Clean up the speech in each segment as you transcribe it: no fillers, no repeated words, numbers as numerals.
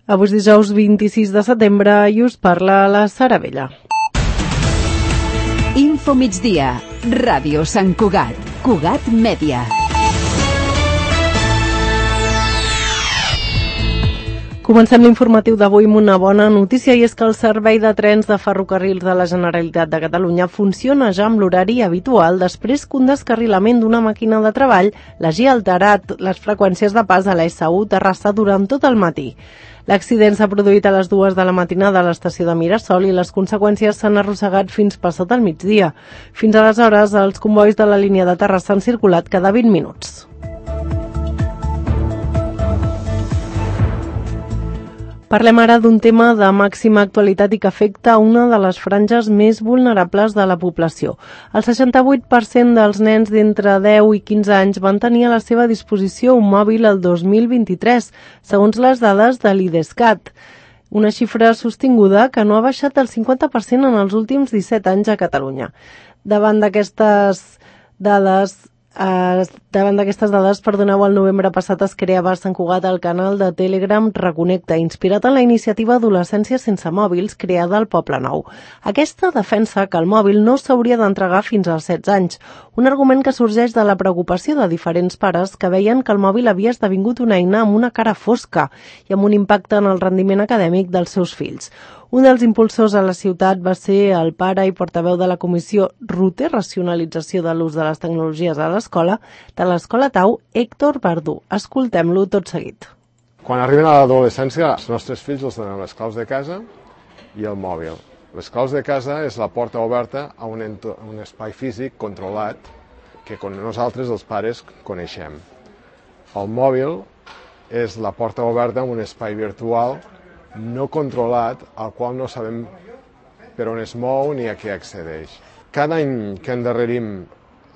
Avui és dijous 26 de setembre i us parla la Sara Vella. Info migdia, Ràdio Sant Cugat, Cugat Mèdia. Comencem l'informatiu d'avui amb una bona notícia i és que el servei de trens de ferrocarrils de la Generalitat de Catalunya funciona ja amb l'horari habitual després que un descarrilament d'una màquina de treball l'hagi alterat les freqüències de pas a la S1 Terrassa durant tot el matí. L'accident s'ha produït a les 2 de la matinada a l'estació de Mirasol i les conseqüències s'han arrossegat fins passat el migdia. Fins aleshores, els combois de la línia de Terrassa han circulat cada 20 minuts. Parlem ara d'un tema de màxima actualitat i que afecta una de les franges més vulnerables de la població. El 68% dels nens d'entre 10 i 15 anys van tenir a la seva disposició un mòbil el 2023, segons les dades de l'IDESCAT. Una xifra sostinguda que no ha baixat del 50% en els últims 17 anys a Catalunya. Davant d'aquestes dades, el novembre passat es creava a Sant Cugat el canal de Telegram Reconnecta, inspirat en la iniciativa Adolescència sense mòbils creada al Poble Nou. Aquesta defensa que el mòbil no s'hauria d'entregar fins als 16 anys, un argument que sorgeix de la preocupació de diferents pares que veien que el mòbil havia esdevingut una eina amb una cara fosca i amb un impacte en el rendiment acadèmic dels seus fills. Un dels impulsors a la ciutat va ser el pare i portaveu de la comissió RUTE, Racionalització de l'ús de les tecnologies a l'escola, de l'Escola Tau, Héctor Verdú. Escoltem-lo tot seguit. Quan arriben a l'adolescència, els nostres fills els donen les claus de casa i el mòbil. Les claus de casa és la porta oberta a un espai físic controlat que nosaltres, els pares, coneixem. El mòbil és la porta oberta a un espai virtual no controlat, al qual no sabem per on es mou ni a què accedeix. Cada any que endarrerim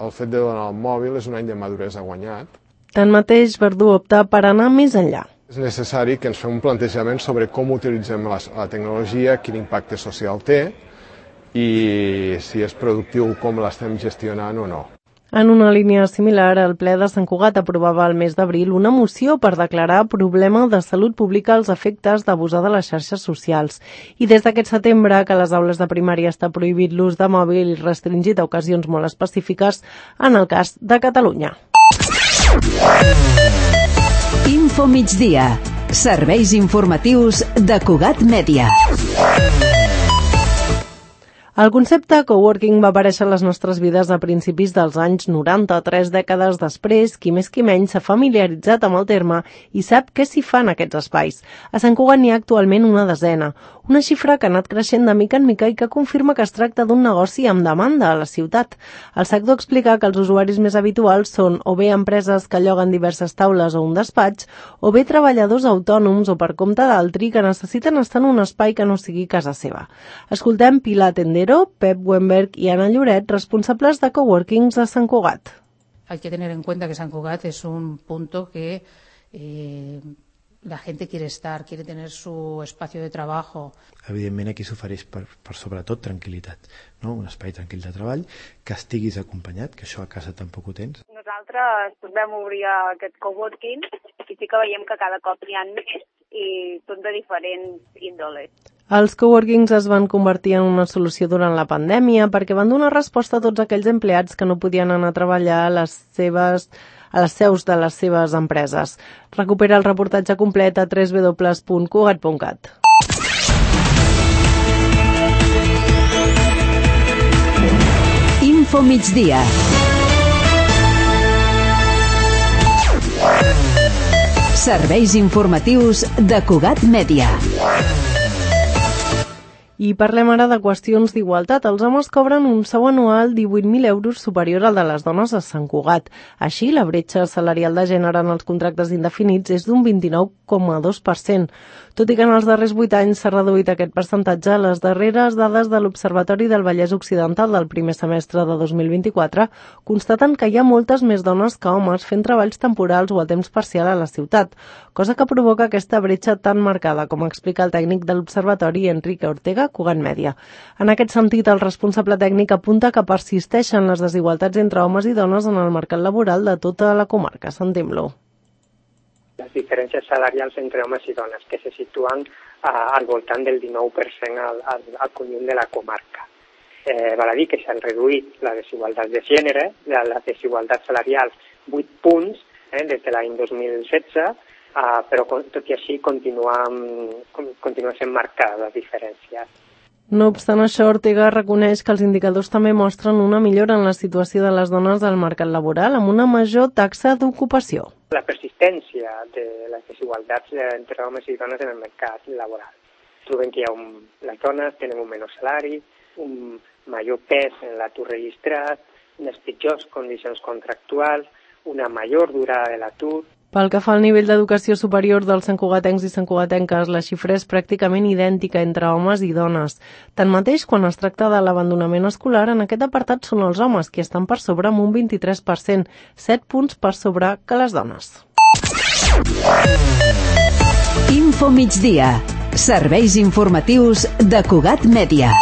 el fet de donar el mòbil és un any de maduresa guanyat. Tanmateix, Verdú opta per anar més enllà. És necessari que ens fem un plantejament sobre com utilitzem la tecnologia, quin impacte social té i si és productiu, com l'estem gestionant o no. En una línia similar, el ple de Sant Cugat aprovava el mes d'abril una moció per declarar problema de salut pública als efectes d'abusar de les xarxes socials. I des d'aquest setembre, que a les aules de primària està prohibit l'ús de mòbil i restringit a ocasions molt específiques, en el cas de Catalunya. Info migdia. Serveis informatius de Cugat Mèdia. El concepte coworking va aparèixer a les nostres vides a principis dels anys 90, 3 dècades després, qui més qui menys s'ha familiaritzat amb el terme i sap què s'hi fa en aquests espais. A Sant Cugat n'hi ha actualment una desena, una xifra que ha anat creixent de mica en mica i que confirma que es tracta d'un negoci amb demanda a la ciutat. El sector explica que els usuaris més habituals són o bé empreses que lloguen diverses taules o un despatx, o bé treballadors autònoms o per compte d'altri que necessiten estar en un espai que no sigui casa seva. Escoltem Pilar Tendero, Pep Wemberg y Ana Lloret, responsables de coworkings de Sant Cugat. Hay que tener en cuenta que Sant Cugat es un punto que la gente quiere estar, quiere tener su espacio de trabajo. Evidentment aquí s'ofereix per sobretot tranquil·litat, no? Un espai tranquil de treball, que estiguis acompanyat, que això a casa tampoc ho tens. Nosaltres vam obrir aquest coworking i sí que veiem que cada cop n'hi ha més i són de diferents índoles. Els coworkings es van convertir en una solució durant la pandèmia perquè van donar resposta a tots aquells empleats que no podien anar a treballar a les seus de les seves empreses. Recupera el reportatge complet a www.cugat.cat. Info migdia. Serveis informatius de Cugat Mèdia. I parlem ara de qüestions d'igualtat. Els homes cobren un sou anual 18.000 euros superior al de les dones a Sant Cugat. Així, la bretxa salarial de gènere en els contractes indefinits és d'un 29,2%. Tot i que en els darrers 8 anys s'ha reduït aquest percentatge, les darreres dades de l'Observatori del Vallès Occidental del primer semestre de 2024 constaten que hi ha moltes més dones que homes fent treballs temporals o a temps parcial a la ciutat, cosa que provoca aquesta bretxa tan marcada, com explica el tècnic de l'Observatori, Enrique Ortega, Cugat Mèdia. En aquest sentit, el responsable tècnic apunta que persisteixen les desigualtats entre homes i dones en el mercat laboral de tota la comarca. Sentim-lo. les diferències salarials entre homes i dones, que se situen al voltant del 19% al conjunt de la comarca. Val a dir que s'han reduït la desigualtat de gènere, la desigualtat salarial 8 punts des de l'any 2016, però tot i així continua sent marcada la diferència. No obstant això, Ortega reconeix que els indicadors també mostren una millora en la situació de les dones al mercat laboral amb una major taxa d'ocupació. La persistència de les desigualtats entre homes i dones en el mercat laboral. Trobem que les dones tenen un menor salari, un major pes en l'atur registrat, unes pitjors condicions contractuals, una major durada de l'atur. Pel que fa al nivell d'educació superior dels santcugatencs i santcugatenques, la xifra és pràcticament idèntica entre homes i dones. Tanmateix, quan es tracta de l'abandonament escolar, en aquest apartat són els homes qui estan per sobre amb un 23%, 7 punts per sobre que les dones. Info migdia. Serveis informatius de Cugat Mèdia.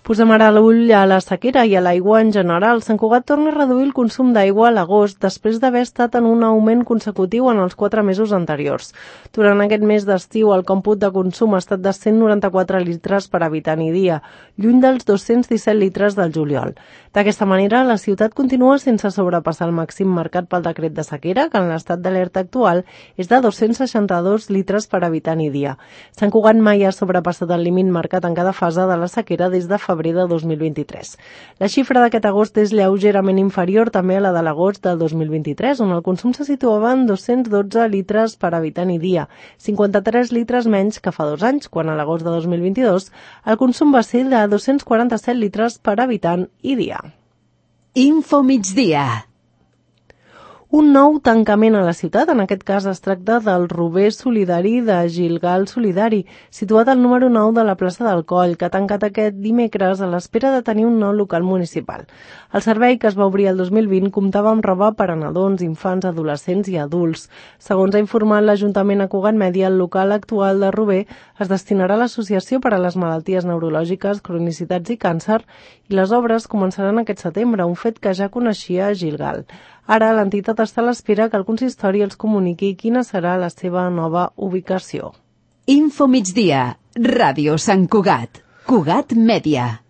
Posem ara l'ull a la sequera i a l'aigua en general. Sant Cugat torna a reduir el consum d'aigua a l'agost després d'haver estat en un augment consecutiu en els 4 mesos anteriors. Durant aquest mes d'estiu, el còmput de consum ha estat de 194 litres per habitant i dia, lluny dels 217 litres del juliol. D'aquesta manera, la ciutat continua sense sobrepassar el màxim marcat pel decret de sequera, que en l'estat d'alerta actual és de 262 litres per habitant i dia. Sant Cugat mai ha sobrepassat el límit marcat en cada fase de la sequera des de febrer de 2023. La xifra d'aquest agost és lleugerament inferior també a la de l'agost del 2023, on el consum se situava en 212 litres per habitant i dia, 53 litres menys que fa 2 anys, quan a l'agost de 2022 el consum va ser de 247 litres per habitant i dia. Info migdia. Un nou tancament a la ciutat, en aquest cas es tracta del Rober Solidari de Gilgal Solidari, situat al número 9 de la plaça del Coll, que ha tancat aquest dimecres a l'espera de tenir un nou local municipal. El servei, que es va obrir el 2020, comptava amb roba per a nadons, infants, adolescents i adults. Segons ha informat l'Ajuntament a Cugat Mèdia, el local actual de Rober es destinarà a l'Associació per a les Malalties Neurològiques, Cronicitats i Càncer, i les obres començaran aquest setembre, un fet que ja coneixia Gilgal. Ara, l'entitat està a l'espera que el consistori els comuniqui quina serà la seva nova ubicació. Info migdia. Ràdio Sant Cugat. Cugat Mèdia.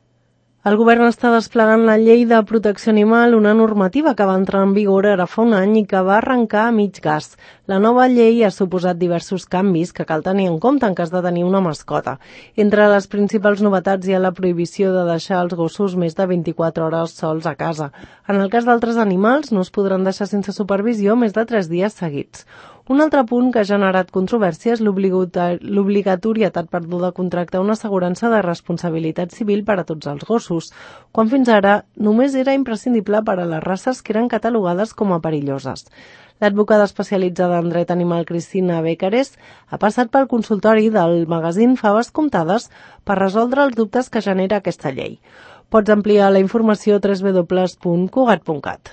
El govern està desplegant la llei de protecció animal, una normativa que va entrar en vigor ara fa un any i que va arrencar a mig gas. La nova llei ha suposat diversos canvis que cal tenir en compte en cas de tenir una mascota. Entre les principals novetats hi ha la prohibició de deixar els gossos més de 24 hores sols a casa. En el cas d'altres animals no es podran deixar sense supervisió més de 3 dies seguits. Un altre punt que ha generat controvèrsia és l'obligatorietat de contractar una assegurança de responsabilitat civil per a tots els gossos, quan fins ara només era imprescindible per a les races que eren catalogades com a perilloses. L'advocada especialitzada en dret animal Cristina Becares ha passat pel consultori del magazín Faves Comptades per resoldre els dubtes que genera aquesta llei. Pots ampliar la informació a www.cugat.cat.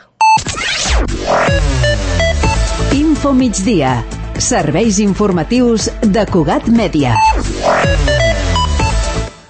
Info migdia. Serveis informatius de Cugat Mèdia.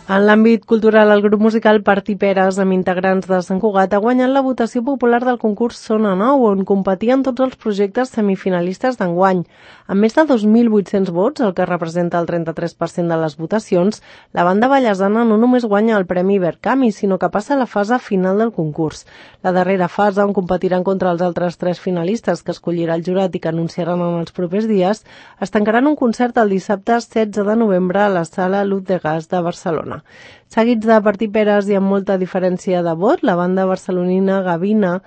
En l'àmbit cultural, el grup musical Parti Peres, amb integrants de Sant Cugat, ha guanyat la votació popular del concurs Sona Nou, on competien tots els projectes semifinalistes d'enguany. Amb més de 2.800 vots, el que representa el 33% de les votacions, la banda ballesana no només guanya el Premi Ibercami, sinó que passa a la fase final del concurs. La darrera fase, on competiran contra els altres 3 finalistes que escollirà el jurat i que anunciaran en els propers dies, es tancaran un concert el dissabte 16 de novembre a la Sala Lut de Gas de Barcelona. Seguits de Parti Peres i amb molta diferència de vot, la banda barcelonina Gavina.mp3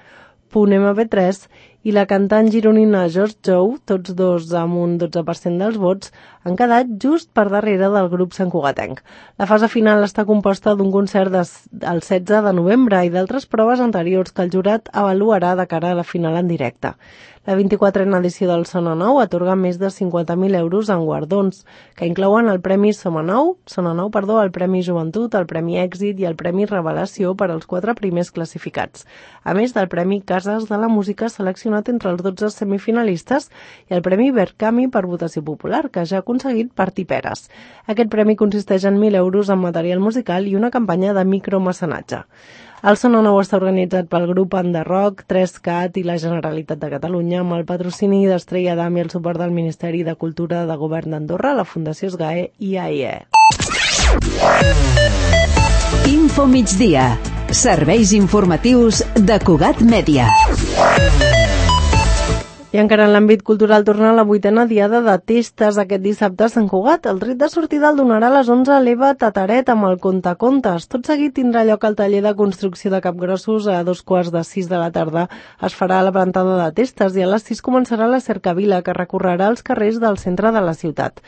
i la cantant gironina George Jou, tots dos amb un 12% dels vots, han quedat just per darrere del grup santcugatenc. La fase final està composta d'un concert el 16 de novembre i d'altres proves anteriors que el jurat avaluarà de cara a la final en directe. La 24a edició del Sona Nou atorga més de 50.000 euros en guardons, que inclouen el Premi Sona Nou, el Premi Joventut, el Premi Èxit i el Premi Revelació per als 4 primers classificats, a més del Premi Cases de la Música seleccionat entre els 12 semifinalistes i el Premi Ibercami per votació popular, que ja ha aconseguit Parti Peres. Aquest premi consisteix en 1.000 euros en material musical i una campanya de micromecenatge. El Sona Nou està organitzat pel grup Enderrock, 3CAT i la Generalitat de Catalunya, amb el patrocini d'Estrella d'Am i el suport del Ministeri de Cultura de Govern d'Andorra, la Fundació SGAE i AIE. Info migdia. Serveis informatius de Cugat Mèdia. I encara en l'àmbit cultural torna la 8a diada de testes aquest dissabte a Sant Cugat. El tret de sortida el donarà a les 11 l'Eva Tataret amb el Contacontes. Tot seguit tindrà lloc el taller de construcció de capgrossos a 5:45 de la tarda. Es farà la plantada de testes i a les 6 començarà la cercavila que recorrerà els carrers del centre de la ciutat.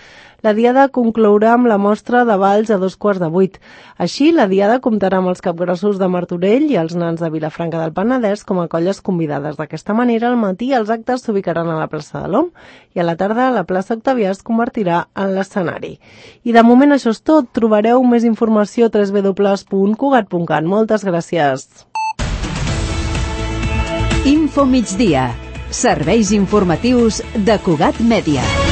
La diada conclourà amb la mostra de balls a 7:45. Així, la diada comptarà amb els capgrossos de Martorell i els nans de Vilafranca del Penedès com a colles convidades. D'aquesta manera, al matí els actes s'ubicaran a la plaça de l'Om i a la tarda la plaça Octavià es convertirà en l'escenari. I de moment això és tot. Trobareu més informació a www.cugat.cat. Moltes gràcies. Info migdia. Serveis informatius de Cugat Mèdia.